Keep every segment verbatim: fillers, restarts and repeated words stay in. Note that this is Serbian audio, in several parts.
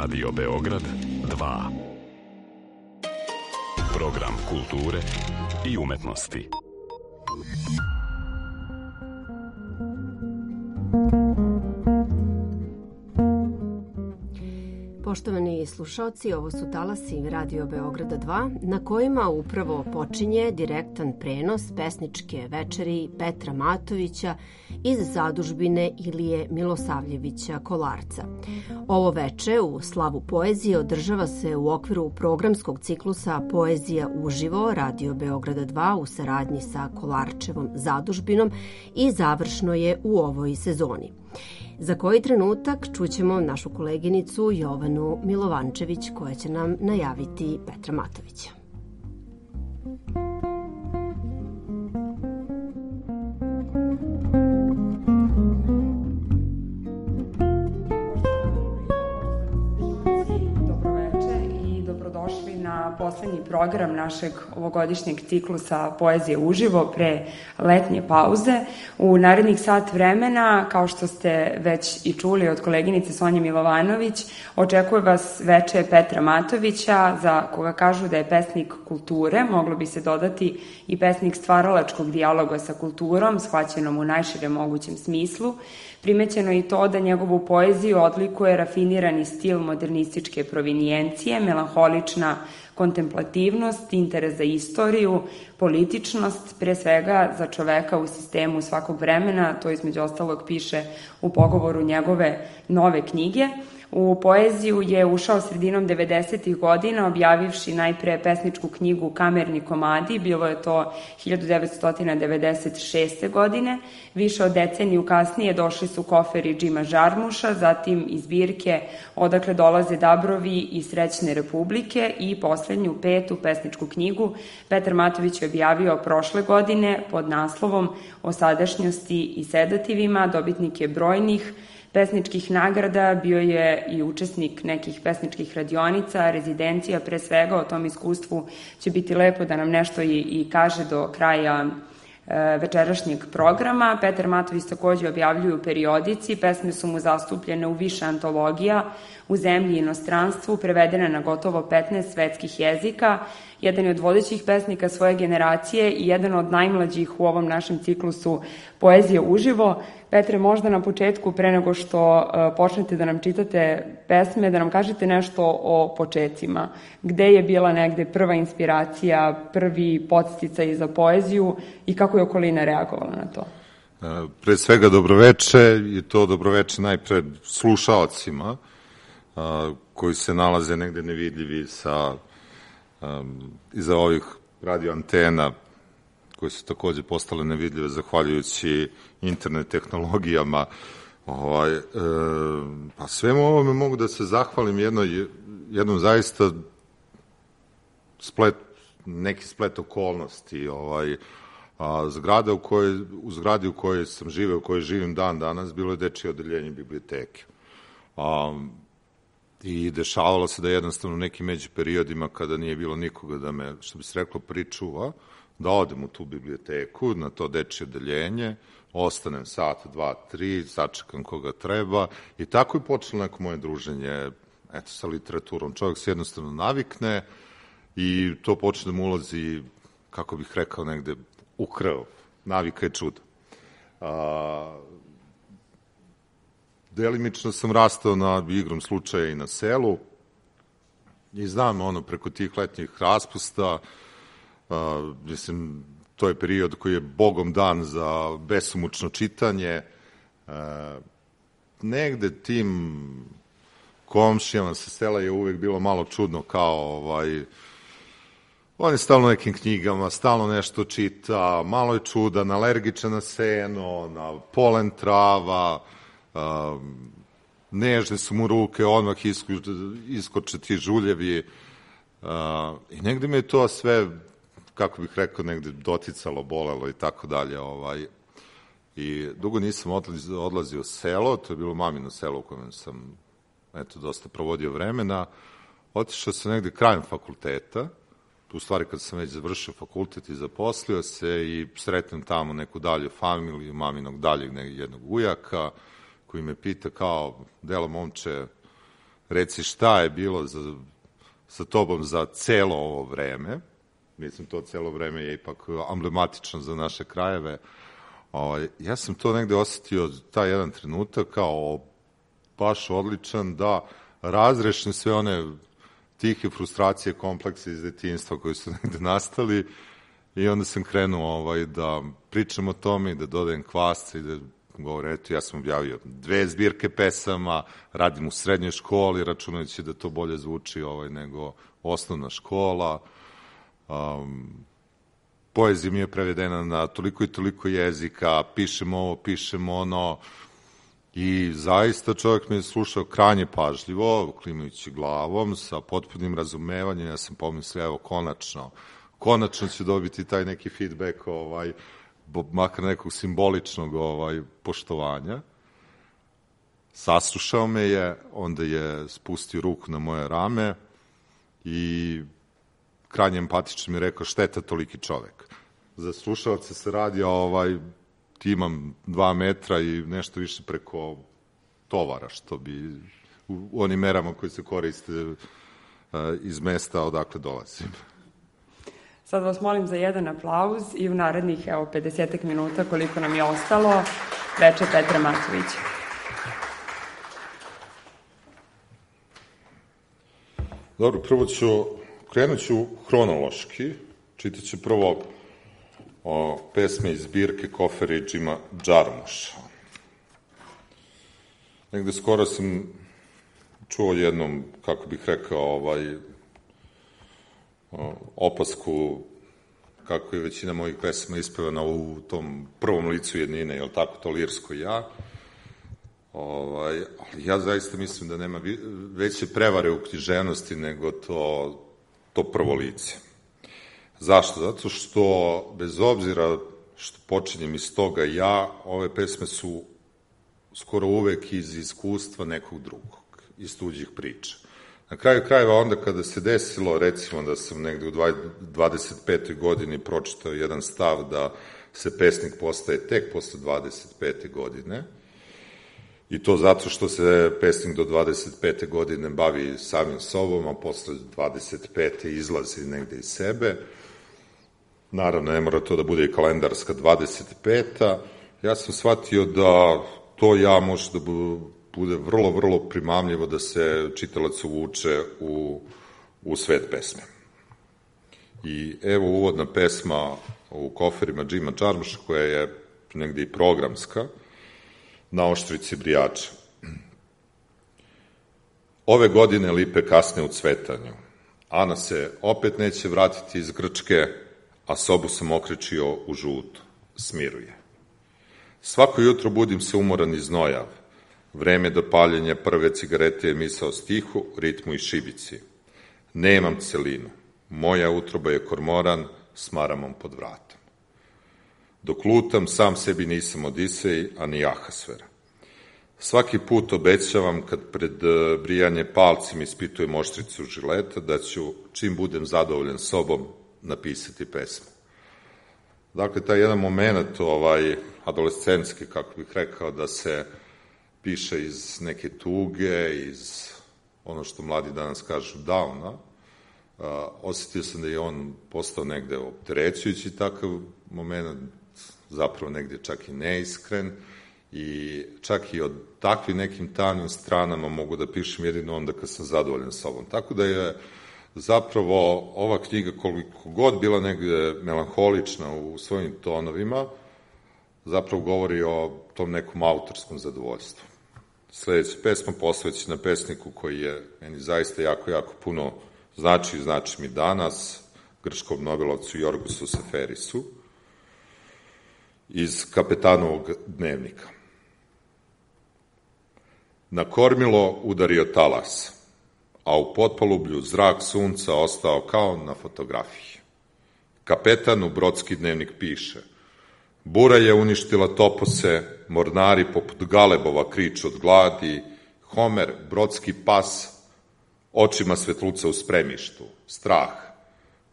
Radio Beograd dva. Program kulture i umetnosti. Poštovani slušaoci, ovo su talasi Radio Beograda dva, na kojima upravo počinje direktan prenos pesničke večeri Petra Matovića iz zadužbine Ilije Milosavljevića Kolarca. Ovo veče u slavu poezije održava se u okviru programskog ciklusa Poezija uživo Radio Beograda dva u saradnji sa Kolarčevom zadužbinom i završno je u ovoj sezoni. Za koji trenutak čućemo našu koleginicu Jovanu Milovančević koja će nam najaviti Petra Matovića. Na poslednji program našeg ovogodišnjeg ciklusa Poezije uživo pre letnje pauze. U narednih sat vremena, kao što ste već i čuli od koleginice Sonje Milovanović, očekuje vas veče Petra Matovića, za koga kažu da je pesnik kulture, moglo bi se dodati i pesnik stvaralačkog dijaloga sa kulturom, shvaćenom u najširem mogućem smislu. Primećeno je i to da njegovu poeziju odlikuje rafinirani stil modernističke provinijencije, melanholična kontemplativnost, interes za istoriju, političnost, pre svega za čoveka u sistemu svakog vremena, to između ostalog piše u pogovoru njegove nove knjige. U poeziju je ušao sredinom devedesetih godina, objavivši najpre pesničku knjigu Kamerni komadi, bilo je to hiljadu devetsto devedeset šeste. godine. Više od deceniju kasnije došli su koferi Džima Žarmuša, zatim i zbirke Odakle dolaze dabrovi i Srećne republike i poslednju petu pesničku knjigu Petar Matović je objavio prošle godine pod naslovom O sadašnjosti i sedativima. Dobitnik je brojnih pesničkih nagrada, bio je i učesnik nekih pesničkih radionica, rezidencija, pre svega o tom iskustvu će biti lepo da nam nešto i, i kaže do kraja e, večerašnjeg programa. Petar Matović takođe objavljuju periodici, pesme su mu zastupljene u više antologija, u zemlji i inostranstvu, prevedene na gotovo petnaest svetskih jezika, jedan je od vodećih pesnika svoje generacije i jedan od najmlađih u ovom našem ciklusu Poezije uživo. Petre, možda na početku, pre nego što uh, počnete da nam čitate pesme, da nam kažete nešto o početcima. Gde je bila negde prva inspiracija, prvi podsticaj za poeziju i kako je okolina reagovala na to? Uh, pre svega dobroveče i to dobroveče najpred slušaocima uh, koji se nalaze negde nevidljivi sa um, iza ovih radioantena koje su takođe postale nevidljive zahvaljujući internet tehnologijama. Ovaj, e, pa svemu ovome mogu da se zahvalim jednoj, jednom zaista splet, neki splet okolnosti. Ovaj, a, zgrada u kojoj, u zgradi u kojoj sam živeo, u kojoj živim dan danas, bilo je dečije odeljenje biblioteke. A, I dešavalo se da jednostavno u nekim među periodima kada nije bilo nikoga da me, što bi se reklo, pričuva, da odem u tu biblioteku, na to dečije odeljenje, ostanem sat, dva, tri, sačekam koga treba i tako je počelo neko moje druženje eto, sa literaturom. Čovjek se jednostavno navikne i to počne da mu ulazi, kako bih rekao, negde u krv. Navika je čudo. A, delimično sam rastao na igrom slučaja i na selu i znam ono preko tih letnjih raspusta. Uh, mislim, to je period koji je bogom dan za besomučno čitanje. Uh, negde tim komšijama sa sela je uvek bilo malo čudno kao ovaj, on je stalno nekim knjigama, stalno nešto čita, malo je čudan, alergičan na seno, na polen trava, uh, nežne su mu ruke, odmah isko, iskoče ti žuljevi uh, i negde me je to sve, kako bih rekao, negde doticalo, bolelo i tako dalje. Ovaj. I dugo nisam odlazio, odlazio u selo, to je bilo mamino selo u kojem sam eto, dosta provodio vremena. Otišao sam negde krajem fakulteta, u stvari kad sam već završio fakultet i zaposlio se i sretnem tamo neku dalju familiju, maminog daljeg jednog ujaka, koji me pita kao, delo momče, reci šta je bilo za, sa tobom za celo ovo vreme. Mislim, to celo vreme je ipak emblematično za naše krajeve. O, ja sam to negde osetio, taj jedan trenutak, kao baš odličan, da razrešim sve one tihe frustracije, komplekse iz detinjstva koji su negde nastali i onda sam krenuo ovaj, da pričam o tome i da dodajem kvasce i da govorim, eto, ja sam objavio dve zbirke pesama, radim u srednjoj školi, računajući da to bolje zvuči ovaj, nego osnovna škola. Um, poezija mi je prevedena na toliko i toliko jezika, pišem ovo, pišem ono, i zaista čovjek me je slušao krajnje pažljivo, klimajući glavom, sa potpunim razumevanjem. Ja sam pomislio, evo, konačno, konačno ću dobiti taj neki feedback, ovaj, makar nekog simboličnog ovaj, poštovanja. Saslušao me je, onda je spustio ruku na moje rame i krajnje empatično mi je rekao, šteta toliki čovek. Za slušalce se radi, ovaj, imam dva metra i nešto više preko tovara, što bi u onim merama koji se koriste uh, iz mesta odakle dolazim. Sad vas molim za jedan aplauz i u narednih, evo, pedesetak minuta koliko nam je ostalo, veče Petra Matovića. Dobro, prvo ću, krenut ću hronološki, čitat ću prvo o pesme iz zbirke Kofere i Džima Džarmuša. Negde skoro sam čuo jednom, kako bih rekao, ovaj, opasku kako je većina mojih pesama ispevana u tom prvom licu jednine, je li tako, to lirsko ja. Ovaj, ali ja zaista mislim da nema veće prevare u književnosti nego to, to prvo lice. Zašto? Zato što, bez obzira što počinjem iz toga ja, ove pesme su skoro uvek iz iskustva nekog drugog, iz tuđih priča. Na kraju krajeva, onda kada se desilo, recimo da sam negde u dvadeset petoj godini pročitao jedan stav da se pesnik postaje tek posle dvadeset pete godine, i to zato što se pesnik do dvadeset pete godine bavi samim sobom, a posle dvadeset pete izlazi negde iz sebe. Naravno, ne mora to da bude i kalendarska dvadeset peta. Ja sam shvatio da to ja može da bude vrlo, vrlo primamljivo da se čitalac uvuče u, u svet pesme. I evo uvodna pesma u Koferima Džima Džarmuša, koja je negde i programska, Na oštrici brijača. Ove godine lipe kasne u cvetanju. Ana se opet neće vratiti iz Grčke, a sobu sam okrečio u žutu. Smiruje. Svako jutro budim se umoran i znojav. Vreme do paljenja prve cigarete je misao stihu, ritmu i šibici. Nemam celinu. Moja utroba je kormoran s maramom pod vratom. Dok lutam, sam sebi nisam Odisej, a ni Ahasver. Svaki put obećavam, kad pred brijanje palcim ispitujem oštricu žileta, da ću, čim budem zadovoljan sobom, napisati pesmu. Dakle, taj jedan moment, ovaj, adolescenski, kako bih rekao, da se piše iz neke tuge, iz ono što mladi danas kažu downa, uh, osetio sam da je on postao negde opterećujući takav moment, zapravo negde čak i neiskren, i čak i od takvim nekim tamnim stranama mogu da pišem jedino onda kad sam zadovoljan sobom. Tako da je zapravo ova knjiga, koliko god bila negde melanholična u svojim tonovima, zapravo govori o tom nekom autorskom zadovoljstvu. Sledeća pesma posvećena pesniku koji je meni zaista jako, jako puno znači i znači mi danas, grčkom nobelovcu Jorgosu Seferisu, iz Kapetanovog dnevnika. Na kormilo udario talas, a u potpalublju zrak sunca ostao kao na fotografiji. Kapetan u brodski dnevnik piše: bura je uništila topose, mornari poput galebova kriču od gladi, Homer, brodski pas, očima svetluca u spremištu, strah,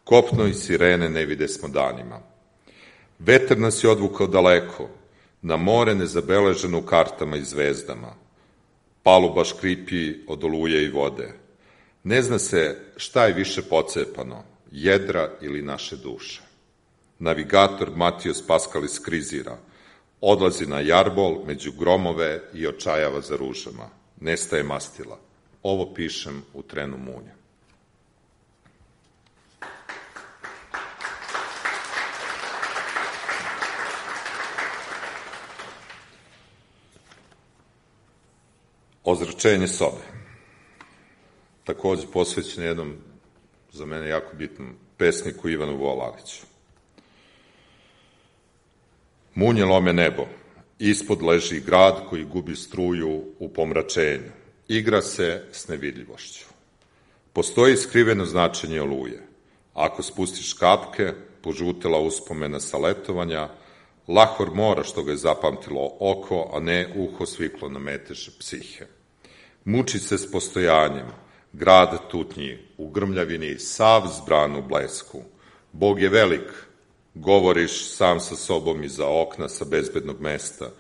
kopno i sirene ne vide smo danima. Vetar nas je odvukao daleko, na more nezabeleženo u kartama i zvezdama. Paluba škripi od oluje i vode. Ne zna se šta je više pocepano, jedra ili naše duše. Navigator Matijos Paskalis krizira, odlazi na jarbol među gromove i očajava za ružama. Nestaje mastila. Ovo pišem u trenu munja. Ozračenje sobe. Takođe posvećeno jednom, za mene jako bitnom, pesniku Ivanu Volaviću. Munje lome nebo, ispod leži grad koji gubi struju u pomračenju. Igra se s nevidljivošću. Postoji skriveno značenje oluje. Ako spustiš kapke, požutela uspomena sa letovanja, Lahor mora što ga je zapamtilo oko, a ne uho sviklo na metež psihe. Muči se s postojanjem, grad tutnji, u grmljavini, sav zbran u blesku. Bog je velik, govoriš sam sa sobom iza okna sa bezbednog mesta.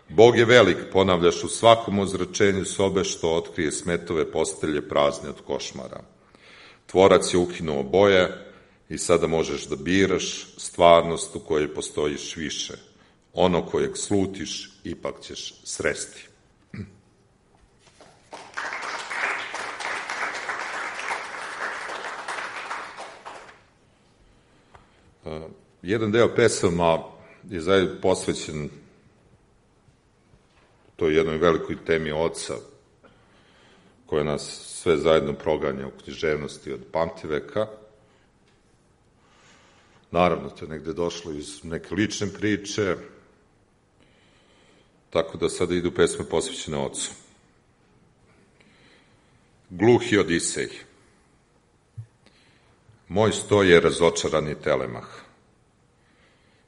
Bog je velik, ponavljaš u svakom ozračenju sobe što otkrije smetove postelje prazne od košmara. Tvorac je ukinuo boje i sada možeš da biraš stvarnost u kojoj postojiš više. Ono kojeg slutiš, ipak ćeš sresti. Jedan deo pesama je zajedno posvećen toj jednoj velikoj temi oca, koja nas sve zajedno proganja u književnosti od pamtiveka. Naravno, to je negde došlo iz neke lične priče, tako da sada idu pesme posvećene ocu. Gluhi Odisej. Moj sto je razočarani Telemah.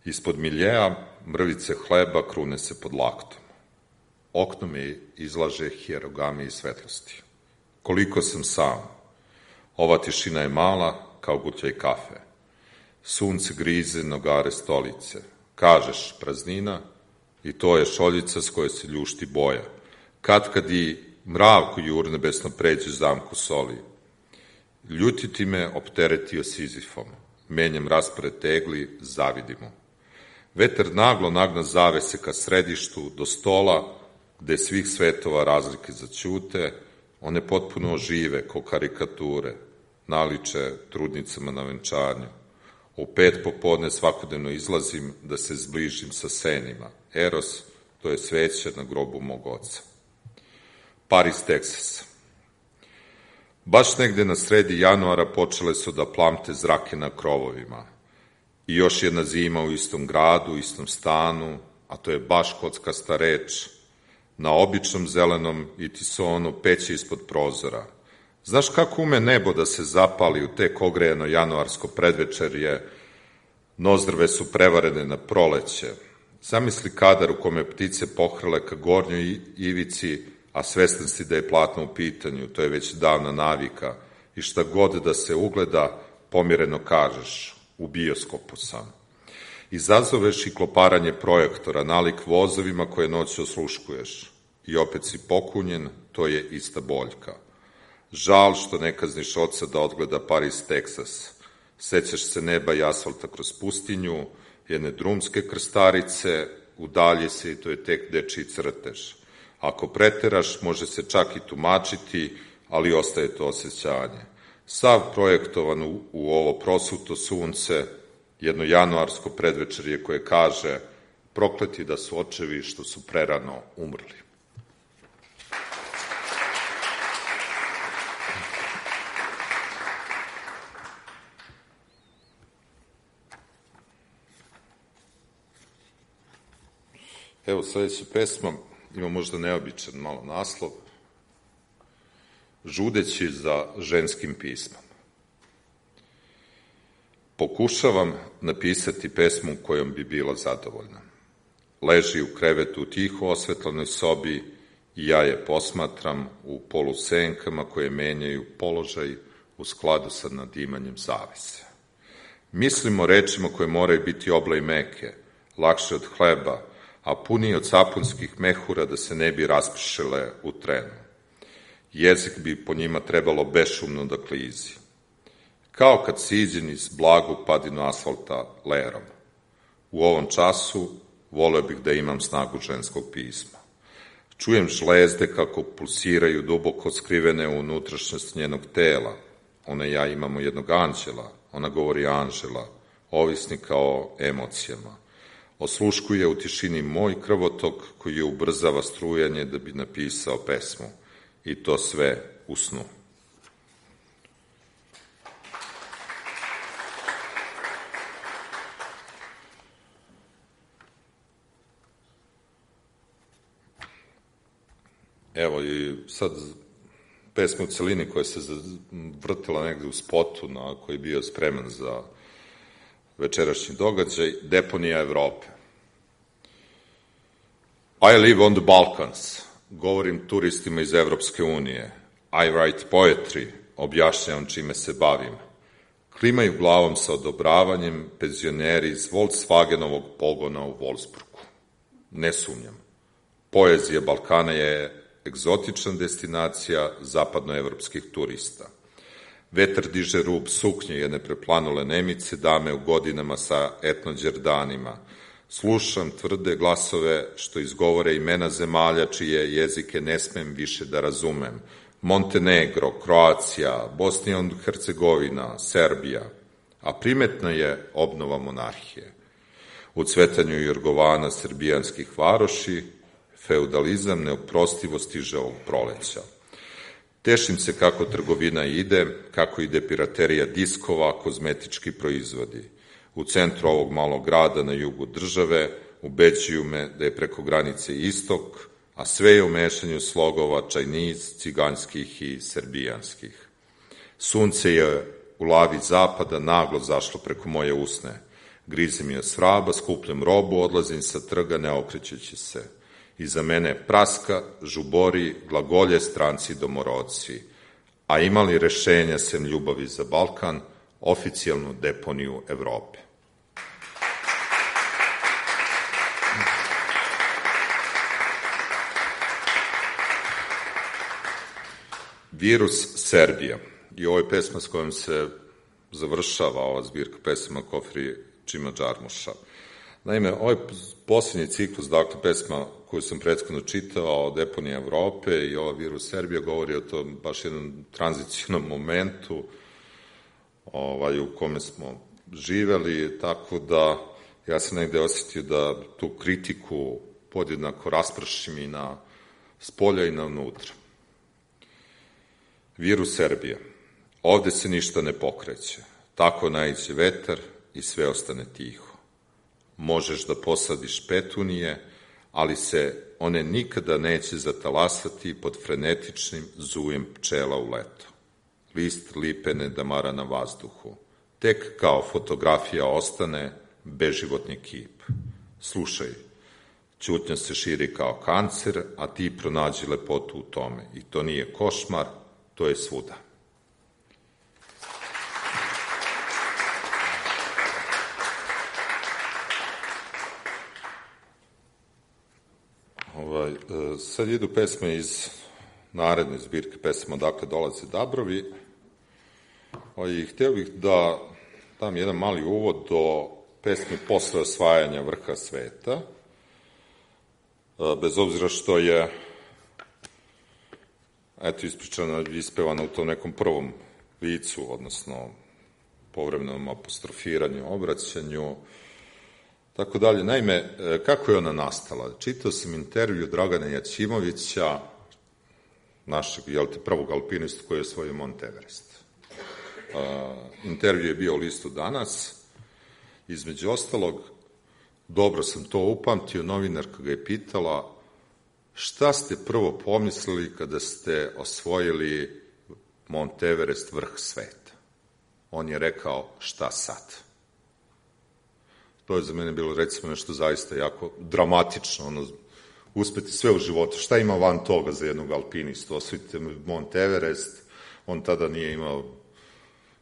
Ispod miljeja mrvice hleba krune se pod laktom. Okno mi izlaže hierogami i svetlosti. Koliko sam sam. Ova tišina je mala kao gutljaj kafe. Sunce grize nogare stolice. Kažeš praznina i to je šoljica s koje se ljušti boja. Kad kad i mravku jurnebesno pređe zamku soli. Ljutiti me opteretio Sizifom. Menjam raspored tegli, zavidimo. Vetar naglo nagna zavese ka središtu, do stola, gde svih svetova razlike zaćute, one potpuno ožive ko karikature, naliče trudnicama na venčanju. U pet popodne svakodnevno izlazim da se zbližim sa senima. Eros, to je sveće na grobu mog oca. Paris, Teksas. Baš negde na sredi januara počele su da plamte zrake na krovovima. I još jedna zima u istom gradu, u istom stanu, a to je baš kockasta reč, na običnom zelenom itisonu peće ispod prozora. Znaš kako ume nebo da se zapali u tek ogrejeno januarsko predvečerje, nozdrve su prevarene na proleće. Zamisli kadar u kome ptice pohrle ka gornjoj ivici, a svestan si da je platno u pitanju, to je već davna navika, i šta god da se ugleda, pomireno kažeš, u bioskopu sam. Izazoveš i kloparanje projektora, nalik vozovima koje noć osluškuješ. I opet si pokunjen, to je ista boljka. Žal što ne kazniš oca da odgleda Paris, Teksas. Sećaš se neba i asfalta kroz pustinju, jedne drumske krstarice, udalje se i to je tek dečiji crtež. Ako preteraš, može se čak i tumačiti, ali ostaje to osjećanje. Sav projektovan u, u ovo prosuto sunce, jedno januarsko predvečerje koje kaže prokleti da su očevi što su prerano umrli. Evo, sledeća pesma ima možda neobičan malo naslov. Žudeći za ženskim pismom. Pokušavam napisati pesmu kojom bi bila zadovoljna. Leži u krevetu u tiho osvetlenoj sobi i ja je posmatram u polusenkama koje menjaju položaj u skladu sa nadimanjem zavese. Mislimo rečima koje moraju biti obla i meke, lakše od hleba, a puni od sapunskih mehura da se ne bi raspršile u trenu. Jezik bi po njima trebalo bešumno da klizi. Kao kad siđe niz blagu padinu asfalta lerom. U ovom času voleo bih da imam snagu ženskog pisma. Čujem žlezde kako pulsiraju duboko skrivene u unutrašnjost njenog tela. Ona i ja imamo jednog anđela, ona govori Anžela, ovisnika o emocijama. Osluškuje u tišini moj krvotok koji je ubrzava strujanje da bi napisao pesmu. I to sve u snu. Evo i sad pesma u celini koja se vrtila negde u spotu na koji je bio spreman za večerašnji događaj, Deponija Evrope. I live on the Balkans, govorim turistima iz Evropske unije. I write poetry, objašnjavam čime se bavim. Klimaju glavom sa odobravanjem penzioneri iz Volkswagenovog pogona u Wolfsburgu. Ne sumnjam. Poezija Balkana je egzotična destinacija zapadnoevropskih turista. Vetar diže rub suknje jedne preplanule Nemice, dame u godinama sa etnođerdanima. Slušam tvrde glasove što izgovore imena zemalja čije jezike ne smem više da razumem. Montenegro, Kroacija, Bosnija i Hercegovina, Serbija. A primetna je obnova monarhije. U cvetanju Jorgovana srbijanskih varoši, feudalizam neoprostivo stiže ovog proleća. Tešim se kako trgovina ide, kako ide piraterija diskova, kozmetički proizvodi. U centru ovog malog grada na jugu države ubeđuju me da je preko granice istok, a sve je u mešanju slogova čajniz, ciganskih i srbijanskih. Sunce je u lavi zapada naglo zašlo preko moje usne. Grizem je svraba, skupljam robu, odlazim sa trga ne okrećući se. Iza mene praska, žubori, glagolje stranci domorodci. A imali rešenja sem ljubavi za Balkan, oficijalnu deponiju Evrope. Virus Serbija. I ovo je pesma s kojom se završava ova zbirka pesama Kofri Čima Džarmuša. Naime, ovaj posljednji ciklus, dakle, pesma koju sam prethodno čitao o deponiji Evrope i ova Virus Serbija govori o tom baš jednom tranzicijnom momentu ovaj, u kome smo živeli, tako da ja sam negde osjetio da tu kritiku podjednako raspršim i na spolja i na unutra. Virus Serbija. Ovde se ništa ne pokreće. Tako naiđe vetar i sve ostane tiho. Možeš da posadiš petunije, ali se one nikada neće zatalasati pod frenetičnim zujem pčela u leto. List lipe ne damara na vazduhu. Tek kao fotografija ostane beživotni kip. Slušaj, ćutnja se širi kao kancer, a ti pronađi lepotu u tome. I to nije košmar, to je svuda. Ovaj, sad idu pesme iz naredne zbirke pesma Odakle dolaze Dabrovi. Ovaj, hteo bih da dam jedan mali uvod do pesme Posle osvajanja vrha sveta, bez obzira što je eto ispričana, ispevana u tom nekom prvom licu, odnosno povremenom apostrofiranju, obraćanju, tako dalje. Naime, kako je ona nastala? Čitao sam intervju Dragana Jaćimovića, našeg, jel te, prvog alpinista koji je osvojio Mont Everest. Uh, intervju je bio u listu Danas. Između ostalog, dobro sam to upamtio, novinarka ga je pitala šta ste prvo pomislili kada ste osvojili Mont Everest, vrh sveta? On je rekao, šta sad? To je za mene bilo, recimo, nešto zaista jako dramatično, ono, uspeti sve u životu. Šta ima van toga za jednog alpinistu? Osvojite Mont Everest, on tada nije imao,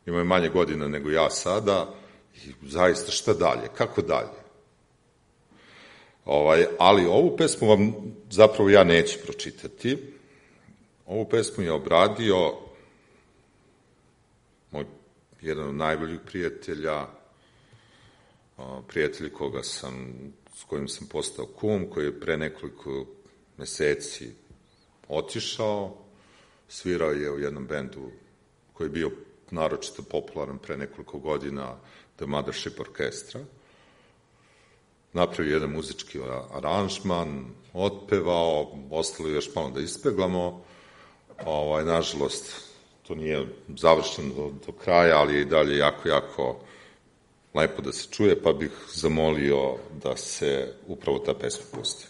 imao je manje godina nego ja sada, i zaista šta dalje? Kako dalje? Ovaj, ali ovu pesmu vam zapravo ja neću pročitati. Ovu pesmu je obradio moj jedan od najboljih prijatelja, prijatelj koga sam, s kojim sam postao kum, koji je pre nekoliko meseci otišao, svirao je u jednom bendu koji je bio naročito popularan pre nekoliko godina, The Mothership Orchestra. Napravio jedan muzički aranžman, otpevao, ostalo još malo da ispeglamo. Ovaj, nažalost, to nije završeno do, do kraja, ali je i dalje jako, jako lepo da se čuje, pa bih zamolio da se upravo ta pesma pusti.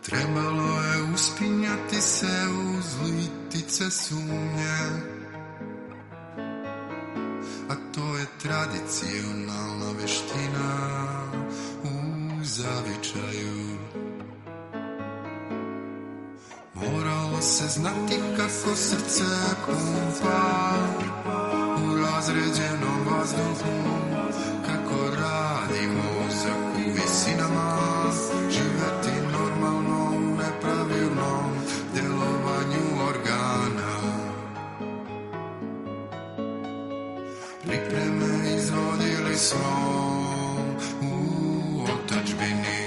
Trebalo je uspinjati se uz litice sumnje, a to je tradicionalna veština u zavičaju. Moralo se znati kako srce pumpa u razređenom vazduhu, kako radi mozak u visinama, živeti normalno u nepravilnom delovanju organa. Pripreme izvodili smo u otadžbini.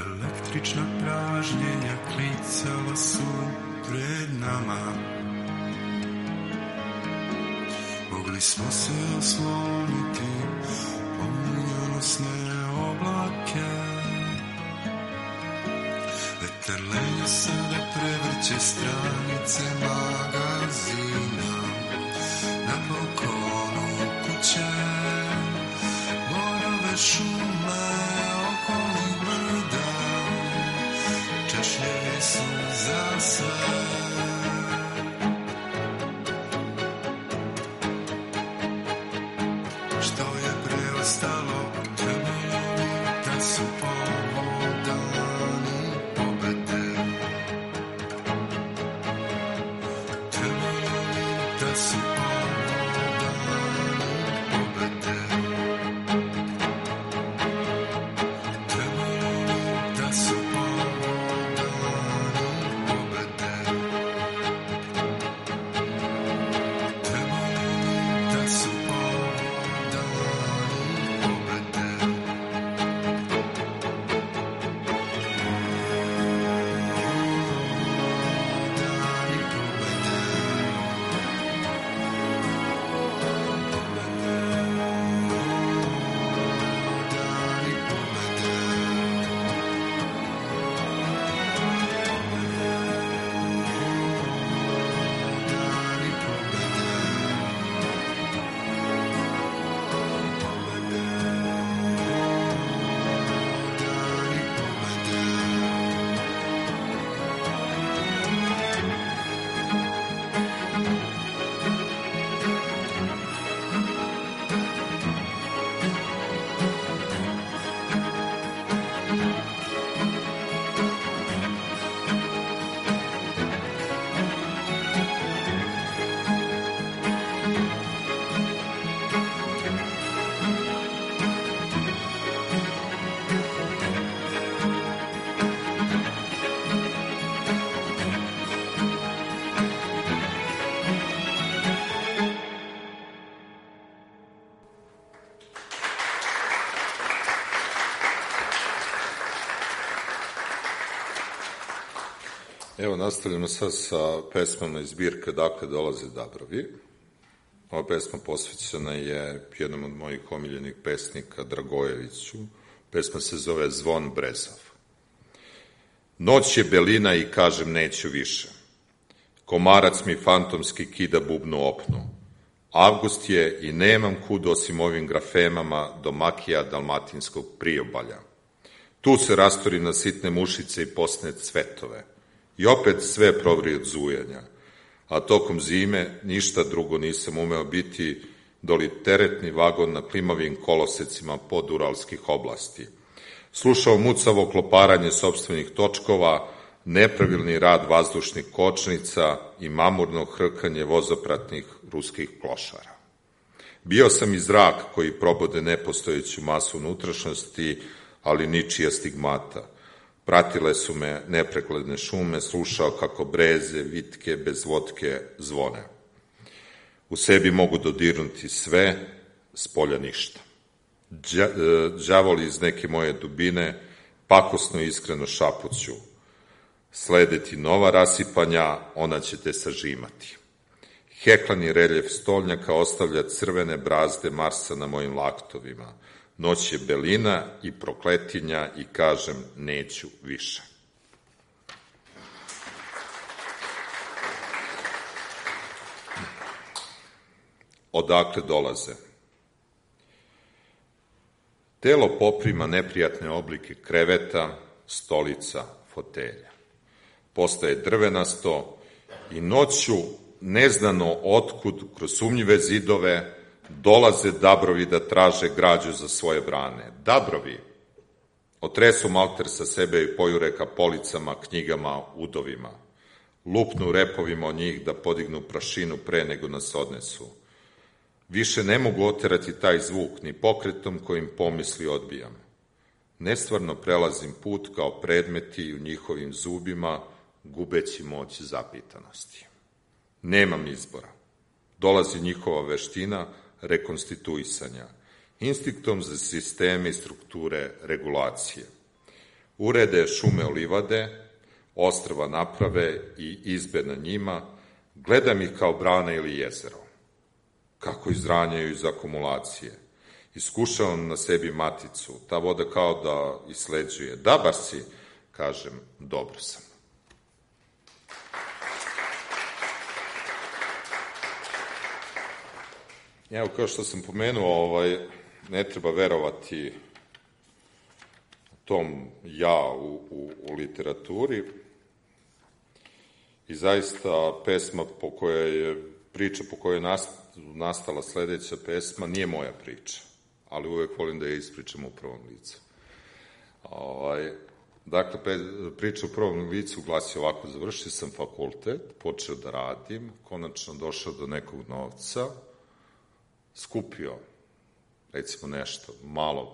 Električna pražnjenja klicala su pred nama. Mogli smo se osloniti pomujanosne oblake. Vetar lenja sada prevrće stranice magazina na balkonu kuće. Borove šume okolnih brda češljevi su za sve. Što je preostalo, trebalo bi da su povodani pobede. Trebalo bi da su povodani pobede. Trebalo bi da su povodani pobede. Trebalo bi da su povodani pobede. Dani pobede. Evo, nastavljamo sad sa pesmama iz zbirke Dakle dolaze Dabrovi. Ova pesma posvećena je jednom od mojih omiljenih pesnika, Dragojeviću. Pesma se zove Zvon brezav. Noć je belina i kažem neću više. Komarac mi fantomski kida bubnu opnu. Avgust je i nemam kud osim ovim grafemama do makija dalmatinskog priobalja. Tu se rastorim na sitne mušice i posne cvetove. I opet sve provri od zujanja. A tokom zime ništa drugo nisam umeo biti doli teretni vagon na klimavim kolosecima poduralskih oblasti. Slušao mucavo kloparanje sopstvenih točkova, nepravilni rad vazdušnih kočnica i mamurno hrkanje vozopratnih ruskih klošara. Bio sam i zrak koji probode nepostojeću masu unutrašnjosti, ali ničija stigmata. Pratile su me nepregledne šume, slušao kako breze, vitke, bez vodke zvone. U sebi mogu dodirnuti sve, s polja ništa. Đavoli iz neke moje dubine pakosno i iskreno šapuću. Sledeti nova rasipanja, ona će te sažimati. Heklani reljef stolnjaka ostavlja crvene brazde Marsa na mojim laktovima. Noć je belina i prokletinja i kažem neću više. Odakle dolaze? Telo poprima neprijatne oblike kreveta, stolica, fotelja. Postaje drvenasto i noću, neznano otkud, kroz sumnjive zidove, dolaze dabrovi da traže građu za svoje brane. Dabrovi otresu malter sa sebe i pojure ka policama, knjigama, udovima. Lupnu repovima o njih da podignu prašinu pre nego nas odnesu. Više ne mogu oterati taj zvuk, ni pokretom kojim pomisli odbijam. Nestvarno prelazim put kao predmeti u njihovim zubima, gubeći moć zapitanosti. Nemam izbora. Dolazi njihova veština rekonstituisanja, instinktom za sisteme i strukture regulacije. Urede šume olivade, ostrva naprave i izbe na njima, gledam ih kao brana ili jezero. Kako izranjaju iz akumulacije. Iskušavam na sebi maticu, ta voda kao da isleđuje. Da, bar si, kažem, dobro sam. Evo, kao što sam pomenuo, ovaj, ne treba verovati tom ja u, u, u literaturi i zaista pesma po kojoj je, priča po kojoj je nastala sledeća pesma nije moja priča, ali uvek volim da je ispričam u prvom licu. Ovaj, dakle, priča u prvom licu glasi ovako: završio sam fakultet, počeo da radim, konačno došao do nekog novca, skupio, recimo nešto malog,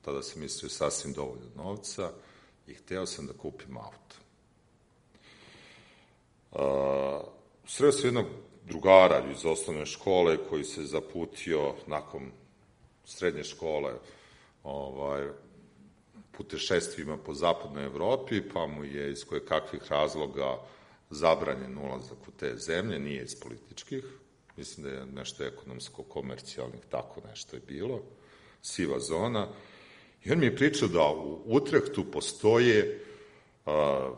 tada sam mislio sasvim dovoljno novca i hteo sam da kupim auto. Uh, sreo sam jednog drugara iz osnovne škole koji se zaputio nakon srednje škole ovaj, putešestvima po zapadnoj Evropi, pa mu je iz koje kakvih razloga zabranjen ulazak u te zemlje, nije iz političkih, mislim da je nešto ekonomsko-komercijalnih, tako nešto je bilo, siva zona. I on mi je pričao da u Utrehtu postoje a,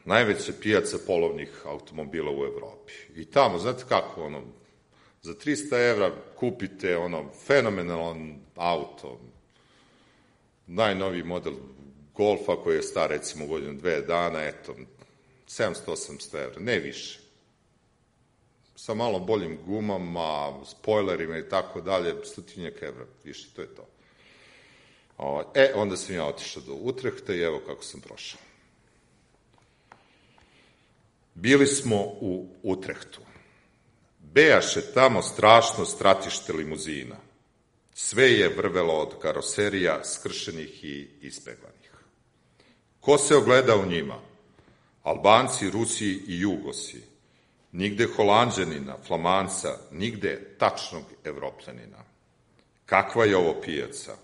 najveća pijaca polovnih automobila u Evropi. I tamo, znate kako, ono, za trista evra kupite ono fenomenalan auto, najnoviji model Golfa koji je star recimo godinu dve dana, eto, sedamsto osamsto evra, ne više. Sa malo boljim gumama, spojlerima i tako dalje, stotinjak evra, više, to je to. E, onda sam ja otišao do Utrehta i evo kako sam prošao. Bili smo u Utrehtu. Bejaše tamo strašno stratište limuzina. Sve je vrvelo od karoserija skršenih i ispeglanih. Ko se ogleda u njima? Albanci, Rusi i Jugosi. Nigde Holanđanina, Flamanca, nigde tačnog Evropljanina. Kakva je ovo pijaca?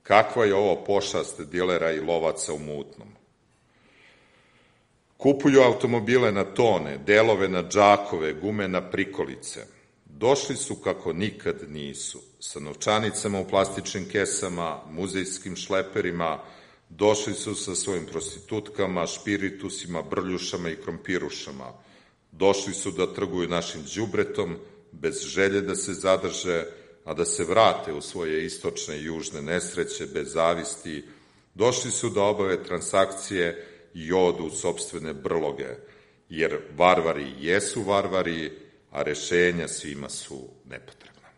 Kakva je ovo pošast dilera i lovaca u mutnom? Kupuju automobile na tone, delove na džakove, gume na prikolice. Došli su kako nikad nisu, sa novčanicama u plastičnim kesama, muzejskim šleperima, došli su sa svojim prostitutkama, špiritusima, brljušama i krompirušama. Došli su da trguju našim đubretom, bez želje da se zadrže, a da se vrate u svoje istočne i južne nesreće, bez zavisti. Došli su da obave transakcije i odu u sopstvene brloge, jer varvari jesu varvari, a rešenja svima su nepotrebna.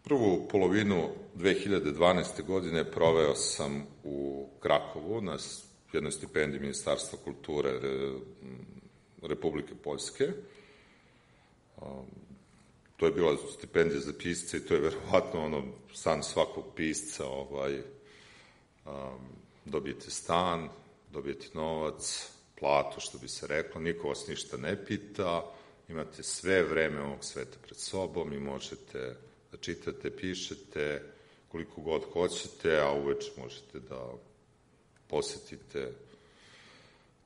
Prvu polovinu dve hiljade dvanaeste. godine proveo sam u Krakovu na jednoj stipendiji Ministarstva kulture Republike Poljske. To je bila stipendija za pisce i to je verovatno ono san svakog pisca, ovaj, dobijete stan, dobijete novac, platu, što bi se reklo, niko vas ništa ne pita, imate sve vreme ovog sveta pred sobom i možete da čitate, pišete koliko god hoćete, a uveče možete da posetite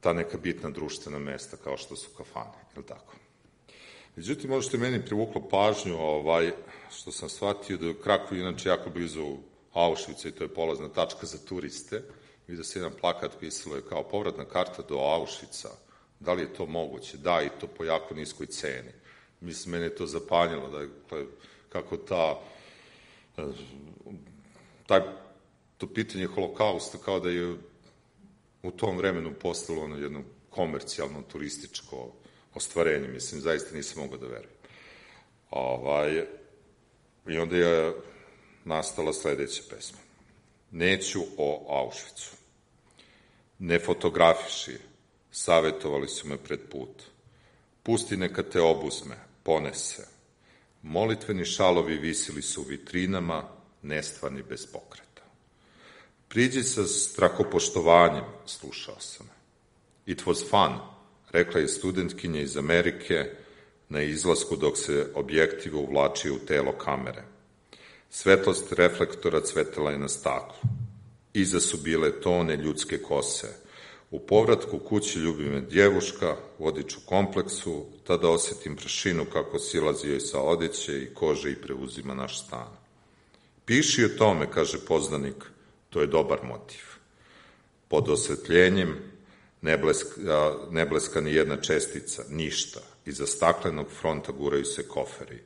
ta neka bitna društvena mesta kao što su kafane, je li tako? Međutim, ono što je meni privuklo pažnju, ovaj, što sam shvatio da je Krakow inače jako blizu Auschwitza i to je polazna tačka za turiste, vidio se jedan plakat, pisalo je kao povratna karta do Auschwitza. Da li je to moguće? Da, i to po jako niskoj ceni. Mislim, mene je to zapanjilo, da je, kako ta, taj, to pitanje holokausta kao da je u tom vremenu postalo ono jedno komercijalno, turističko ostvarenje. Mislim, zaista nisam mogao da verujem. Ovaj, I onda je nastala sledeća pesma. Neću o Auschwitzu. Ne fotografiši, savetovali su me pred put. Pusti neka te obuzme, ponese. Molitveni šalovi visili su u vitrinama, nestvarni bez pokreta. Priđi sa strahopoštovanjem, slušao sam. It was fun, rekla je studentkinja iz Amerike na izlasku dok se objektiv uvlačio u telo kamere. Svetlost reflektora cvetala je na staklu. Iza su bile tone ljudske kose. U povratku kući ljubi me djevuška, vodič u kompleksu, tada osetim prašinu kako silazi joj sa odeće i kože i preuzima naš stan. Piši o tome, kaže poznanik, to je dobar motiv. Pod osvetljenjem ne bleska, ne bleska ni jedna čestica, ništa. Iza staklenog fronta guraju se koferi.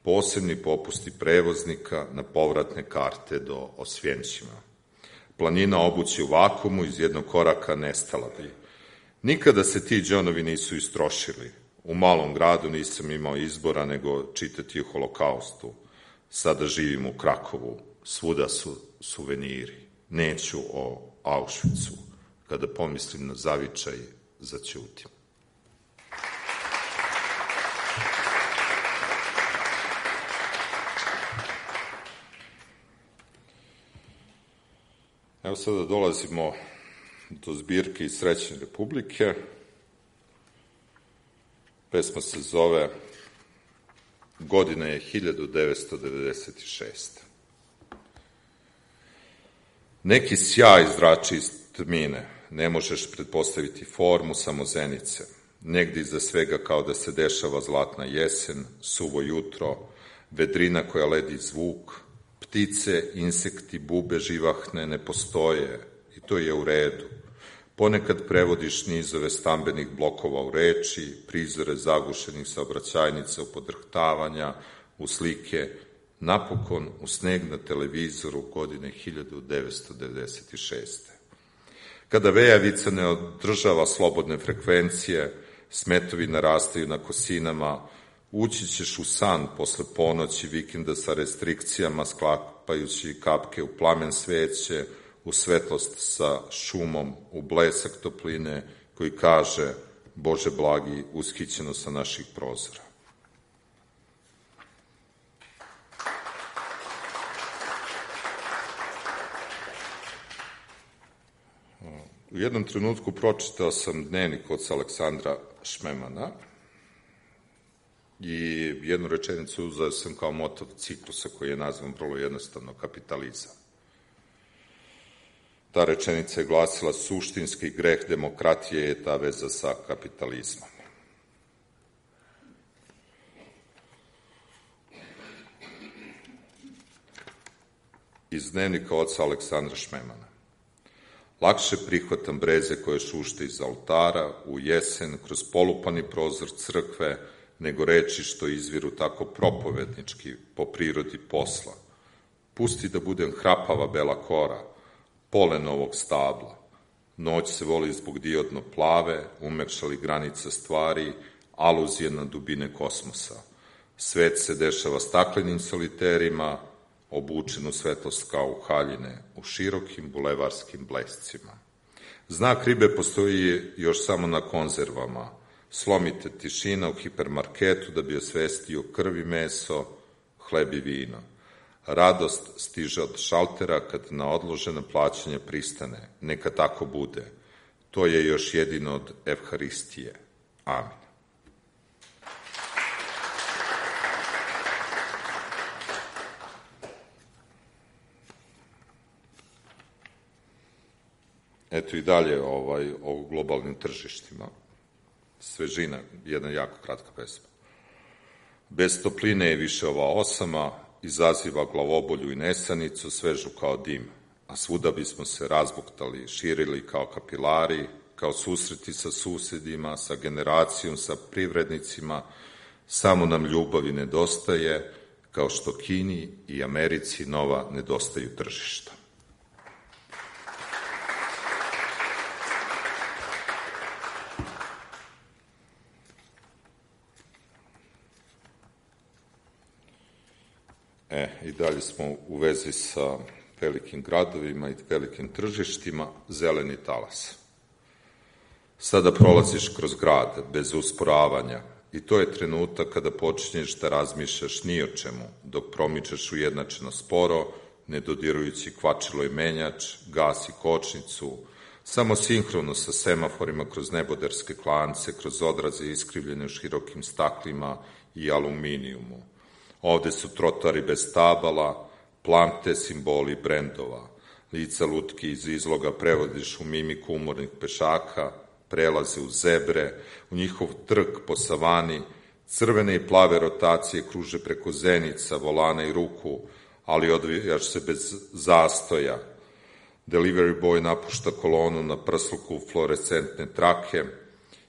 Posebni popusti prevoznika na povratne karte do Osvjenćima. Planina obući u vakumu iz jednog koraka nestala bi. Nikada se ti džonovi nisu istrošili. U malom gradu nisam imao izbora nego čitati o holokaustu. Sada živim u Krakovu. Svuda su suveniri. Neću o Auschwitzu. Kada pomislim na zavičaj, zaćutim. Evo sada dolazimo do zbirke iz Srećne Republike. Pesma se zove Godina je hiljadu devetsto devedeset šesta. Neki sjaj zrači iz tmine, ne možeš pretpostaviti formu samo zenice. Negdje iza svega kao da se dešava zlatna jesen, suvo jutro, vedrina koja ledi zvuk, ptice, insekti, bube živahne ne postoje i to je u redu. Ponekad prevodiš nizove stambenih blokova u reči, prizore zagušenih saobraćajnica u podrhtavanja, u slike, napokon u sneg na televizoru godine hiljadu devetsto devedeset šeste. Kada vejavica ne održava slobodne frekvencije, smetovi narastaju na kosinama, ući ćeš u san posle ponoći vikenda sa restrikcijama, sklapajući kapke u plamen sveće, u svetlost sa šumom, u blesak topline koji kaže Bože blagi, ushićeno sa naših prozora. U jednom trenutku pročitao sam dnevnik od Aleksandra Šmemana i jednu rečenicu uzeo sam kao moto ciklusa koji je nazvan vrlo jednostavno kapitalizam. Ta rečenica je glasila: suštinski greh demokratije je ta veza sa kapitalizmom. Iz dnevnika oca Aleksandra Šmemana. Lakše prihvatam breze koje šušte iz oltara, u jesen, kroz polupani prozor crkve, nego reči što izviru tako propovednički po prirodi posla. Pusti da budem hrapava bela kora, pole novog stabla. Noć se voli zbog diodno plave, umekšali granica stvari, aluzije na dubine kosmosa. Svet se dešava staklenim soliterima, obučen u svetlost kao u haljine, u širokim bulevarskim blescima. Znak ribe postoji još samo na konzervama. Slomite tišina u hipermarketu da bi osvestio krv i meso, hleb i vino. Radost stiže od šaltera kad na odloženo plaćanje pristane. Neka tako bude. To je još jedino od Evharistije. Amin. Eto i dalje ovaj, o globalnim tržištima. Svežina, jedna jako kratka pesma. Bez topline je više ova osama, izaziva glavobolju i nesanicu, svežu kao dim, a svuda bismo se razbuktali, širili kao kapilari, kao susreti sa susedima, sa generacijom, sa privrednicima, samo nam ljubavi nedostaje, kao što Kini i Americi nova nedostaju tržišta. E, i dalje smo u vezi sa velikim gradovima i velikim tržištima, zeleni talas. Sada prolaziš kroz grad, bez usporavanja, i to je trenutak kada počinješ da razmišljaš ni o čemu, dok promičeš ujednačeno sporo, ne dodirujući kvačilo i menjač, gas i kočnicu, samo sinhrono sa semaforima kroz neboderske klance, kroz odraze iskrivljene u širokim staklima i aluminijumu. Ovde su trotoari bez tabala, plamte, simboli brendova. Lica lutki iz izloga prevodiš u mimiku umornih pešaka, prelaze u zebre, u njihov trk po savani, crvene i plave rotacije kruže preko zenica, volana i ruku, ali odvijaš se bez zastoja. Delivery boy napušta kolonu na prsluku fluorescentne trake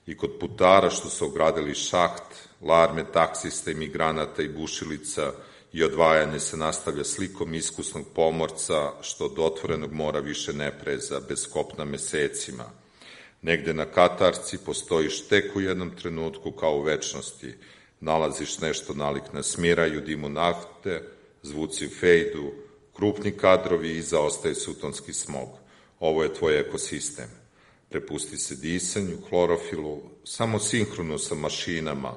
i kod putara što su ogradili šaht, larme taksista i migranata i bušilica i odvajanje se nastavlja slikom iskusnog pomorca što od otvorenog mora više ne preza, bez kopna mesecima. Negde na katarci postojiš tek u jednom trenutku kao u večnosti. Nalaziš nešto nalik na smiraj u dimu nafte, zvuci u fejdu, krupni kadrovi i iza ostaje sutonski smog. Ovo je tvoj ekosistem. Prepusti se disanju, klorofilu, samo sinhrono sa mašinama.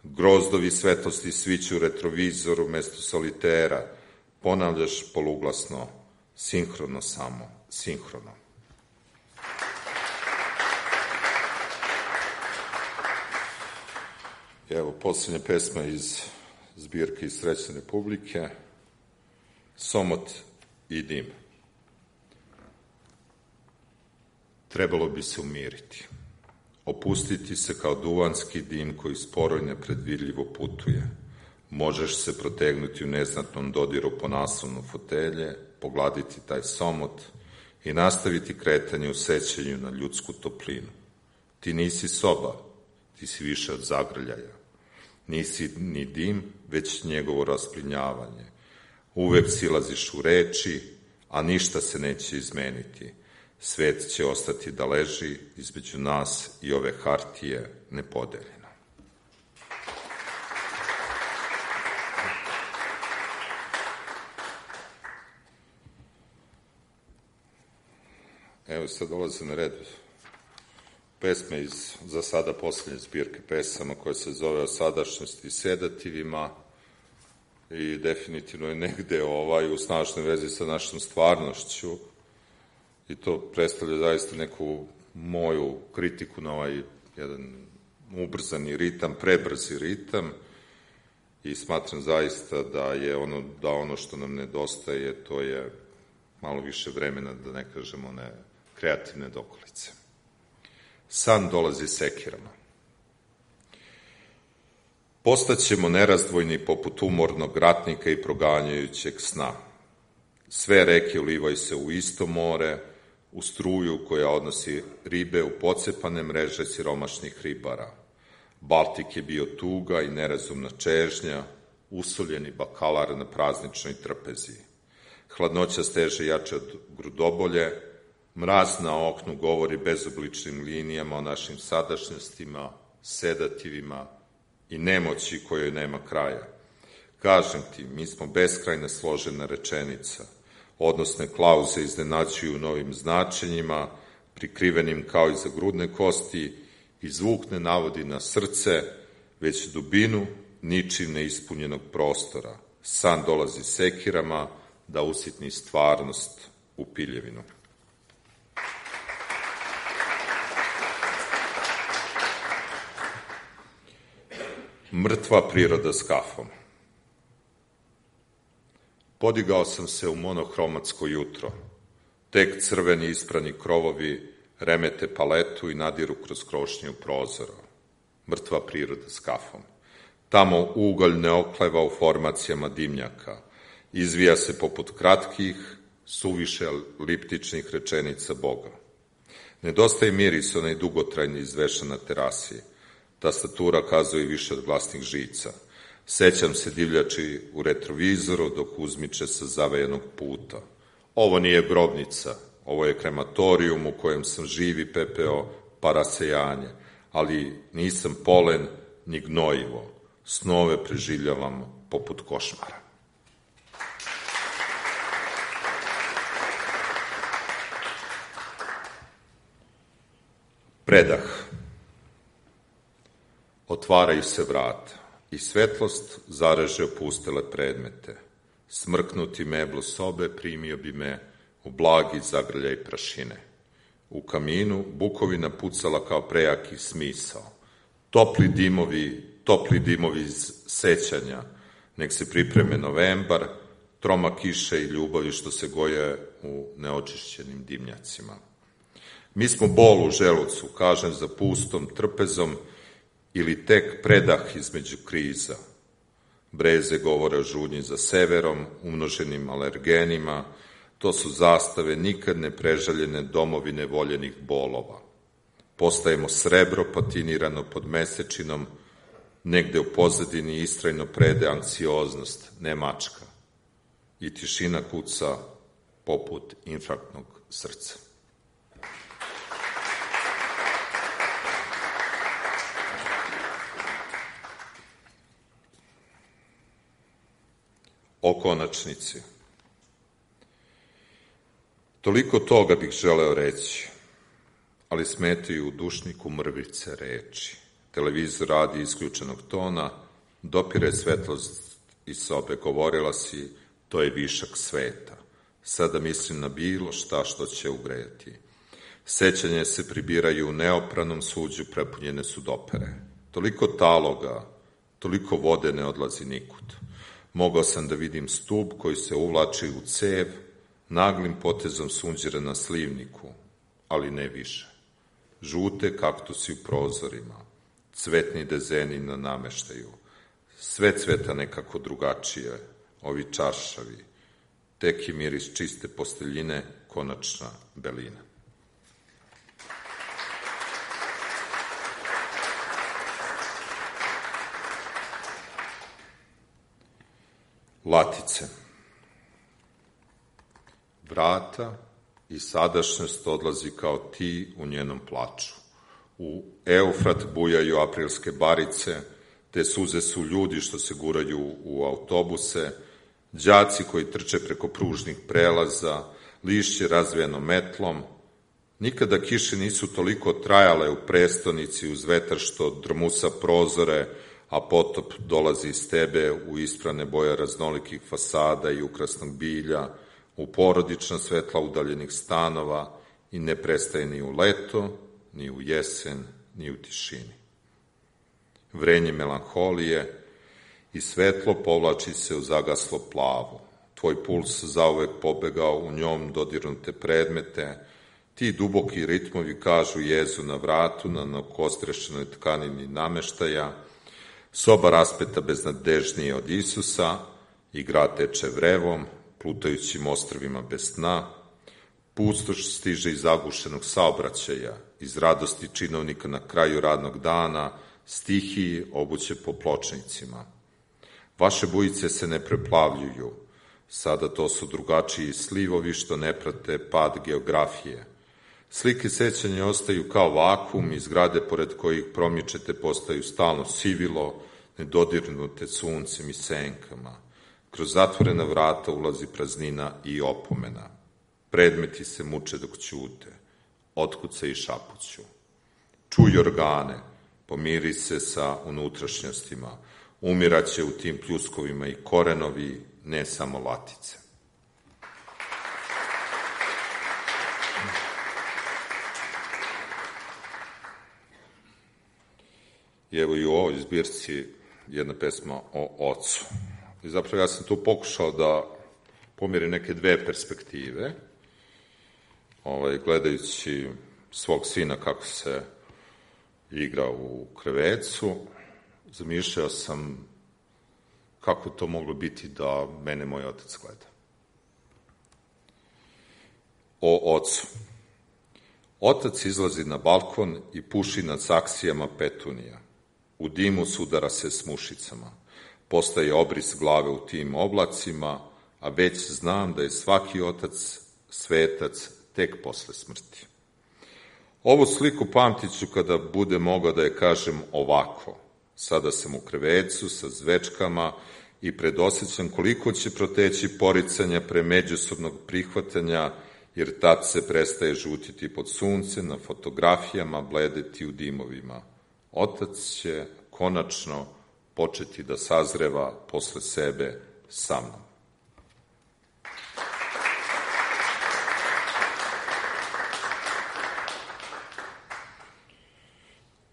Grozdovi svetlosti sviću u retrovizoru umesto solitera. Ponavljaš poluglasno, sinhrono samo, sinhrono. Evo, poslednja pesma iz zbirke iz Srećne Republike, Somot i dim. Trebalo bi se umiriti, opustiti se kao duvanski dim koji sporo i nepredvidljivo putuje. Možeš se protegnuti u neznatnom dodiru po naslovnu fotelje, pogladiti taj somot i nastaviti kretanje u sećanju na ljudsku toplinu. Ti nisi soba, ti si više od zagrljaja. Nisi ni dim, već njegovo rasplinjavanje. Uvek silaziš u reči, a ništa se neće izmeniti. Svet će ostati da leži između nas i ove hartije nepodeljeno. Evo sad dolaze na red pesme iz za sada poslednje zbirke pesama koja se zove O sadašnjosti i sedativima i definitivno je negde ovaj, u snažnoj vezi sa našom stvarnošću i to predstavlja zaista neku moju kritiku na ovaj jedan ubrzani ritam, prebrzi ritam i smatram zaista da je ono, da ono što nam nedostaje, to je malo više vremena, da ne kažemo one kreativne dokolice. San dolazi sekirama. Postaćemo nerazdvojni poput umornog ratnika i proganjajućeg sna. Sve reke ulivaju se u isto more, u struju koja odnosi ribe u pocepane mreže siromašnih ribara. Baltik je bio tuga i nerazumna čežnja, usoljeni bakalar na prazničnoj trpezi. Hladnoća steže jače od grudobolje, mraz na oknu govori bezobličnim linijama o našim sadašnjostima, sedativima i nemoći kojoj nema kraja. Kažem ti, mi smo beskrajno složena rečenica. Odnosne klauze iznenađuju novim značenjima, prikrivenim kao iza grudne kosti, i zvuk ne navodi na srce, već dubinu ničim neispunjenog prostora. San dolazi sekirama da usitni stvarnost u piljevinu. Mrtva priroda s kafom. Podigao sam se u monohromatsko jutro. Tek crveni isprani krovovi remete paletu i nadiru kroz krošnju prozora. Mrtva priroda s kafom. Tamo ugalj ne okleva u formacijama dimnjaka. Izvija se poput kratkih, suviše eliptičnih rečenica Boga. Nedostaje miris onaj dugotrajni izvešan na terasi. Tastatura kazuje više od glasnih žica. Sećam se divljači u retrovizoru dok uzmiče sa zavejenog puta. Ovo nije grobnica, ovo je krematorijum u kojem sam živi pepeo pa rasejanje, ali nisam polen ni gnojivo. Snove preživljavam poput košmara. Predah. Otvaraju se vrata i svetlost zareže opustele predmete. Smrknuti meblu sobe primio bi me u blagi zagrljaj prašine. U kaminu bukovina pucala kao prejaki smisao. Topli dimovi, topli dimovi iz sećanja, nek se pripreme novembar, troma kiše i ljubavi što se goje u neočišćenim dimnjacima. Mi smo bol u želucu, kažem za pustom trpezom, ili tek predah između kriza. Breze govore o žudnji za severom, umnoženim alergenima, to su zastave nikad ne prežaljene domovine voljenih bolova. Postajemo srebro patinirano pod mesečinom, negde u pozadini istrajno prede anksioznost, ne mačka. I tišina kuca poput infarktnog srca. O konačnici. Toliko toga bih želeo reći, ali smetaju u dušniku mrvice reči. Televizor radi isključenog tona, dopire svetlost iz sobe, govorila si, to je višak sveta. Sada mislim na bilo šta što će ugrejati. Sećanje se pribiraju u neopranom suđu, prepunjene su dopere. Toliko taloga, toliko vode ne odlazi nikud. Mogao sam da vidim stub koji se uvlači u cev, naglim potezom sunđera na slivniku, ali ne više. Žute kaktusi u prozorima, cvetni dezeni na nameštaju, sve cveta nekako drugačije, ovi čaršavi, tek je miris čiste posteljine, konačna belina. Latice. Vrata i sadašnjost odlazi kao ti u njenom plaču. U Eufrat bujaju aprilske barice, te suze su ljudi što se guraju u autobuse, đaci koji trče preko pružnih prelaza, lišće razvijeno metlom. Nikada kiše nisu toliko trajale u prestonici uz vetar što drmusa prozore, a potop dolazi iz tebe u isprane boje raznolikih fasada i ukrasnog bilja, u porodična svetla udaljenih stanova i ne prestaje ni u leto, ni u jesen, ni u tišini. vrenje melanholije i svetlo povlači se u zagaslo plavu. Tvoj puls zauvek pobegao u njom dodirnute predmete, ti duboki ritmovi kažu jezu na vratu, na nakostrešenoj tkanini nameštaja, soba raspeta beznadežnije od Isusa i grad teče vrevom, plutajućim ostrvima bez sna, pustoš stiže iz zagušenog saobraćaja, iz radosti činovnika na kraju radnog dana, stihiji obuće po pločnicima. Vaše bujice se ne preplavljuju, sada to su drugačiji slivovi što ne prate pad geografije. Slike sećanja ostaju kao vakum i zgrade pored kojih promičete postaju stalno sivilo, nedodirnute suncem i senkama. Kroz zatvorena vrata ulazi praznina i opomena. Predmeti se muče dok ćute, otkuce i šapuću. Čuj organe, pomiri se sa unutrašnjostima, umiraće u tim pljuskovima i korenovi, ne samo latice. I evo i u ovoj zbirci jedna pesma o ocu. I zapravo ja sam tu pokušao da pomirim neke dve perspektive, ovaj, gledajući svog sina kako se igra u krevecu, zamišljao sam kako to moglo biti da mene moj otac gleda. O ocu. Otac izlazi na balkon i puši nad saksijama petunija. U dimu sudara se s mušicama. Postaje obris glave u tim oblacima, a već znam da je svaki otac svetac tek posle smrti. Ovu sliku pamtit ću kada bude mogao da je kažem ovako. Sada sam u krevecu sa zvečkama i predosjećam koliko će proteći poricanja pre međusobnog prihvatanja, jer tad se prestaje žutiti pod suncem, na fotografijama bledeti u dimovima. Otac će konačno početi da sazreva posle sebe sa mnom.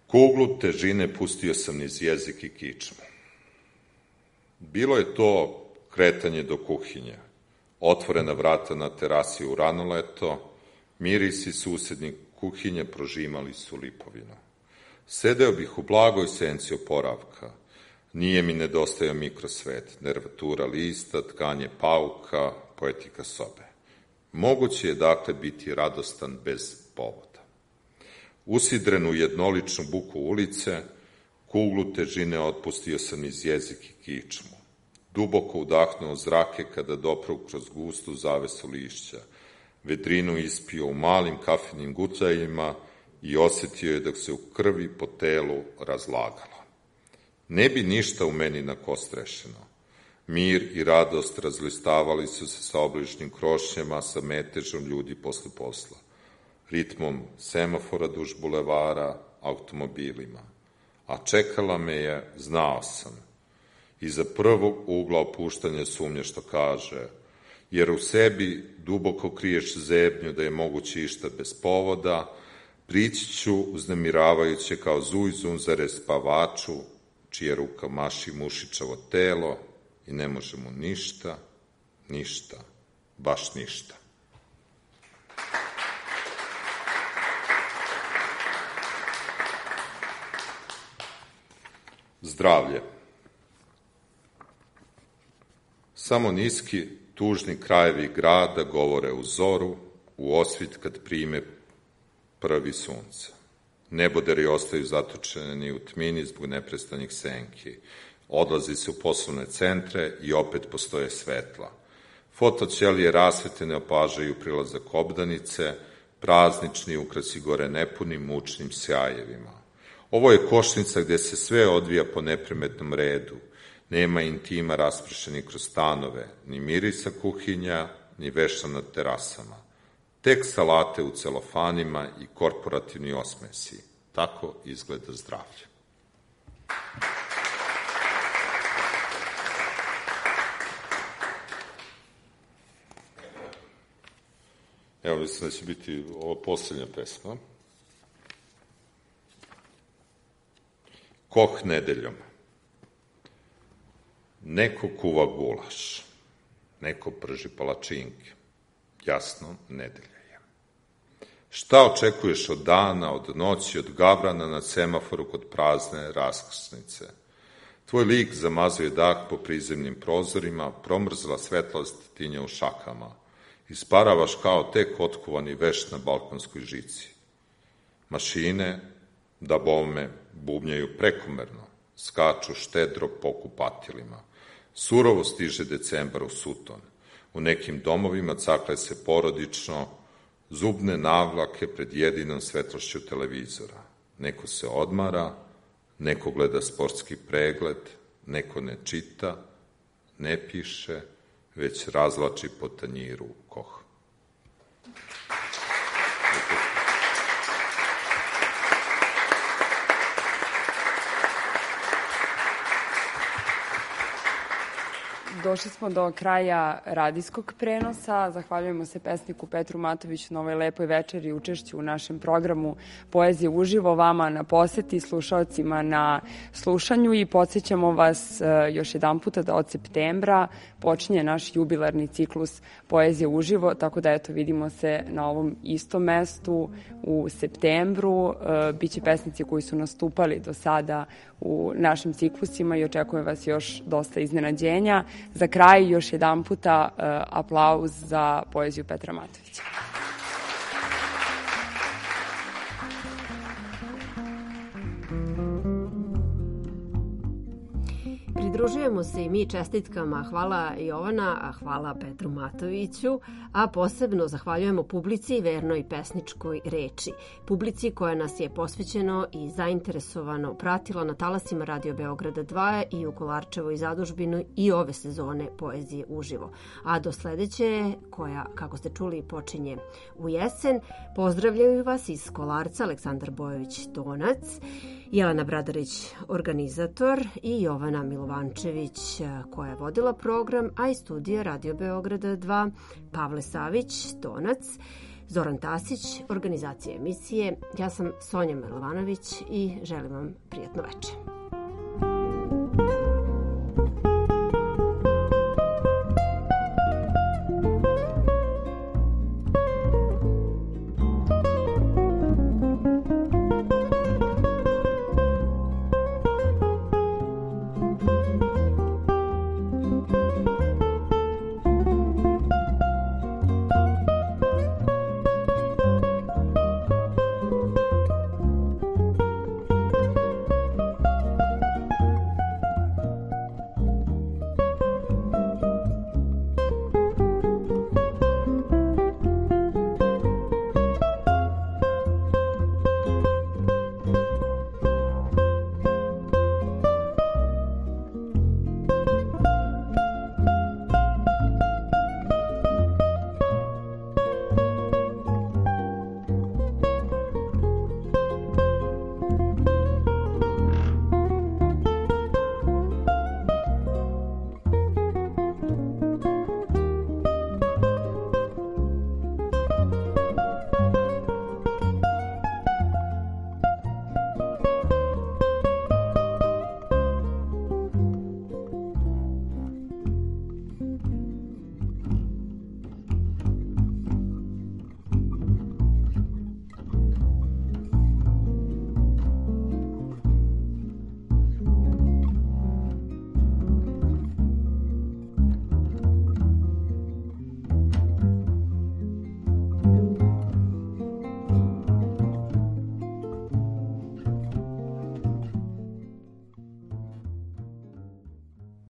Kuglu težine pustio sam niz jezik i kičmu. Bilo je to kretanje do kuhinje, otvorena vrata na terasi u rano leto, mirisi susednih kuhinje prožimali su lipovinu. Sedeo bih u blagoj senci oporavka. Nije mi nedostajao mikrosvet, nervatura lista, tkanje pauka, poetika sobe. Moguće je dakle biti radostan bez povoda. Usidren u jednoličnu buku ulice, kuglu težine otpustio sam iz jezik i kičmu. Duboko udahnuo zrake kada doprao kroz gustu zavesu lišća. Vedrinu ispio u malim kafenim gutajima i osetio je dok se u krvi po telu razlagalo. Ne bi ništa u meni nakostrešeno. Mir i radost razlistavali su se sa obližnjim krošnjama, sa metežom ljudi posle posla, ritmom semafora duž bulevara, automobilima. A čekala me je, znao sam, iza prvog ugla opuštanja sumnje što kaže, jer u sebi duboko kriješ zebnju da je moguće išta bez povoda, prići ću uznemiravajuće kao zujzun zare spavaču, čija ruka maši mušičavo telo i ne može mu ništa, ništa, baš ništa. Zdravlje. Samo niski, tužni krajevi grada govore u zoru, u osvit kad prime prvi sunce. Neboderi ostaju zatočeni u tmini zbog neprestanjih senki. Odlazi se u poslovne centre i opet postoje svetla. Fotoćelije rasvete ne opažaju prilazak obdanice, praznični ukrasi gore nepunim mučnim sjajevima. Ovo je košnica gde se sve odvija po neprimetnom redu. Nema intima raspršenih kroz stanove, ni mirisa kuhinja, ni veša na terasama. Tek salate u celofanima i korporativni osmesi. Tako izgleda zdravlje. Evo, mislim da će biti ovo poslednja pesma. Koh nedeljom. Neko kuva gulaš, neko prži palačinke. Jasno, nedelja je. Šta očekuješ od dana, od noći, od gavrana na semaforu kod prazne raskrsnice? Tvoj lik zamazuje dah po prizemnim prozorima, promrzla svetlost tinja u šakama. Isparavaš kao tek otkuvani veš na balkonskoj žici. Mašine, da bome, bubnjaju prekomerno, skaču štedro po kupatilima. Surovo stiže decembar u Suton. U nekim domovima cakle se porodično zubne navlake pred jedinom svetlošću televizora. Neko se odmara, neko gleda sportski pregled, neko ne čita, ne piše, već razlači po tanjiru Koh. Došli smo do kraja radijskog prenosa. Zahvaljujemo se pesniku Petru Matoviću na ovoj lepoj večeri i učešću u našem programu Poezije uživo, vama na poseti, slušaocima na slušanju i podsjećamo vas još jedan puta da od septembra počinje naš jubilarni ciklus Poezije uživo, tako da eto vidimo se na ovom istom mestu u septembru. Biće pesnici koji su nastupali do sada u našim ciklusima i očekujem vas još dosta iznenađenja. Za kraj još jedan puta uh, aplauz za poeziju Petra Matovića. Pridružujemo se i mi čestitkama. Hvala Jovana, a hvala Petru Matoviću, a posebno zahvaljujemo publici vernoj pesničkoj reči. Publici koja nas je posvećeno i zainteresovano pratila na talasima Radio Beograda dva i u Kolarčevoj zadužbini i ove sezone Poezije uživo. A do sledeće, koja, kako ste čuli, počinje u jesen, pozdravljaju vas iz Kolarca Aleksandar Bojović-Donac, Jelena Bradarić, organizator, i Jovana Milovančević, koja je vodila program, a iz studija Radio Beograda dva, Pavle Savić, Donac, Zoran Tasić, organizacija emisije. Ja sam Sonja Milovanović i želim vam prijatno večer.